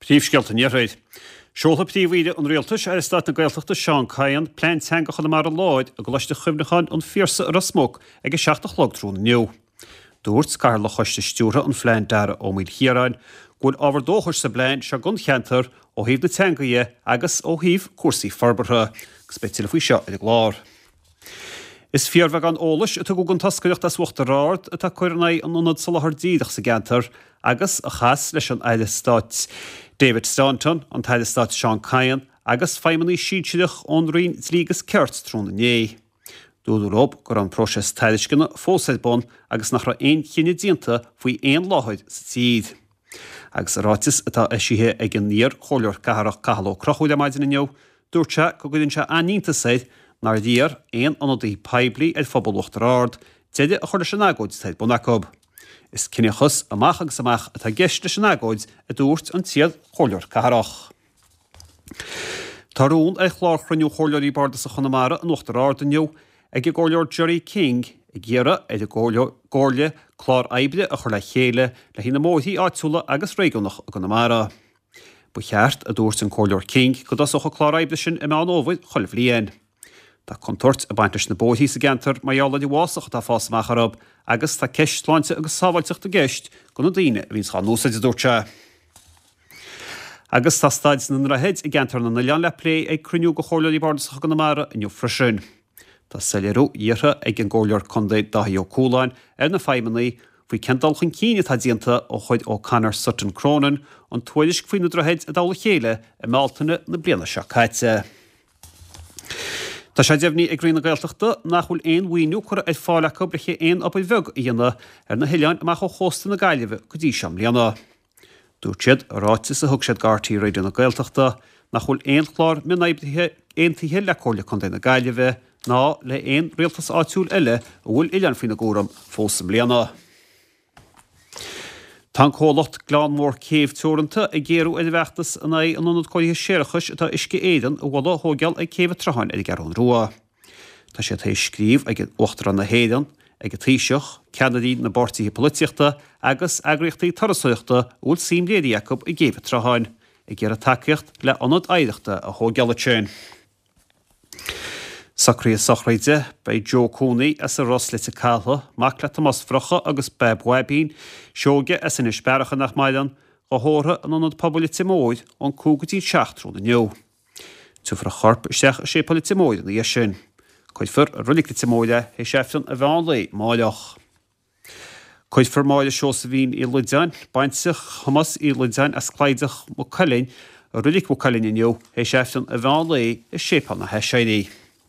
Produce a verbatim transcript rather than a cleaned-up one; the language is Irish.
Príomhscéalta an Iarthair. Seolfaidh Príomh-Aoire an Rialtais, Aire Stáit na Gaeltachta Seán Kyne, Plean Teanga Chonamara Láir i gColáiste Chuimhneacháin an Phiarsaigh i Ros Muc ag a seacht a chlog tráthnóna inniu. Dúirt Cathaoirleach Choiste Stiúrtha an Phlean Dara Ó Maoilchiaráin go bhfuil ábhar dóchais sa bplean seo don cheantar ó thaobh na teanga dhe agus ó thaobh cúrsaí forbartha. Agus beidh tuilleadh faoi seo ar an gclár. Is fíorbheagán eolais a tugadh don toscaireacht as Uachtar Ard atá ag cur in aghaidh an Ionad Soláthair Díreach sa gceantar agus a chas leis an Aire Stáit David Staunton, an tAire Stáit Seán Kyne agus feidhmeannaigh sinsearach ón Roinn Dlí agus Cirt tráthnóna inné. Dúradh leo go raibh an próiseas tairisceana fós ar bun agus nach raibh aon chinneadh déanta faoi aon láthair sa tír. Agus i ráiteas atá eisithe ag an iar-chomhairleoir cathrach Cathal Ó Conchúir ar maidin inniu, dúirt sé go gcuireann sé an-iontas air nár iarr aon ionadaí poiblí ar phobal Uachtar Ard deireadh a chur leis an agóid atá ar bun acu. Is ciníochas amach agus amach atá i gceist leis an agóid, a dúirt an t-iar-chomhairleoir cathrach. Tá rún ar chlár chruinniú Chomhairleoirí Bardasach Chonamara in Uachtar Ard inniu ag an gComhairleoir Gerry King ag iarraidh ar an gComhairle clár oibre a chur le chéile le haghaidh na mbóithrí áitiúla agus réigiúnach i gConamara. Ba cheart, a dúirt an Comhairleoir King, go dtosódh an clár oibre sin i Meán Fhómhair chuile bhliain. Tá contúirt ag baint leis na bóithrí sa gceantar mar gheall ar an bhfásach atá ag fás amach orthu agus tá ceist sláinte agus sábháilteachta i gceist do na daoine a bhíonns dhá n-úsáid, a dúirt sé. Agus tá staid na ndroichead i gceantar na n-oileán le plé ag cruinniú de Chomhairleoirí Bardasacha Chonamara inniu freisin. Tá soiléiriú iarrtha ag an gComhairleoir Contae Dáithí Ó Cualáin ar na feidhmeannaigh faoi cén dul chun cinn atá déanta ó chuir O'Connor Sutton Cronin an tuairisc faoi na droichid i dtoll a chéile i mBealtaine na bliana seo caite. Tá sé deimhnithe ag Roinn na Gaeltachta nach bhfuil aon mhaoiniú curtha ar fáil acu le haghaidh aon obair bheag a dhéanamh ar na hoileáin amach ó chósta na Gaillimhe go dtí seo i mbliana. Dúirt siad i ráiteas a thug siad do RTÉ Raidió na Gaeltachta nach bhfuil aon chlár mionoibrithe aontaithe le Comhairle Contae na Gaillimhe ná le haon rialtas áitiúil eile a bhfuil oileáin faoina gcúram fós i mbliana. Tá an comhlacht Gleann Mór Céibh Teoranta ag géarú ar a bhfeachtas in aghaidh an ionad cóirithe séarachais atá Uisce Éireann a mholadh a thóigeáil ag Céibh an tSrutháin ar an gCeathrún Rua. Tá siad théis scríobh ag Uachtarán na hÉireann, ag an Taoiseach, ceannairí na bpáirtithe polaitíochta agus eagraíochtaí turasóireachta a bhfuil suim léirithe acu i gCéibh an tSrutháin, ag iarraidh tacaíocht le ionad oidhreachta a thóigeáil ansin. Socruithe sochraide, Beidh Joe Cooney as an Ros, Leitir Cathail, mac le Tomás Bhrocha agus Bab Bhaibín, Seoige as Inis Bearacha nach maireann, dhá thórramh in Ionad Pobail Leitir Móir ón cúig go dtí an seacht tráthnóna inniu. Tabharfar a chorp isteach i Séipéal Leitir Móir ina dhiaidh sin. Cuirfear i Roilig Leitir Móir é théis Aifreann an mheán lae amáireach. Cuirfear Máire Seosaimhín Uí Loideáin, baintreach Thomáis Uí Loideáin as Cladach Mhaigh Cuilinn, i Roilig Mhaigh Cuilinn inniu théis Aifreann an mheán lae i Séipéal na hAiséirí.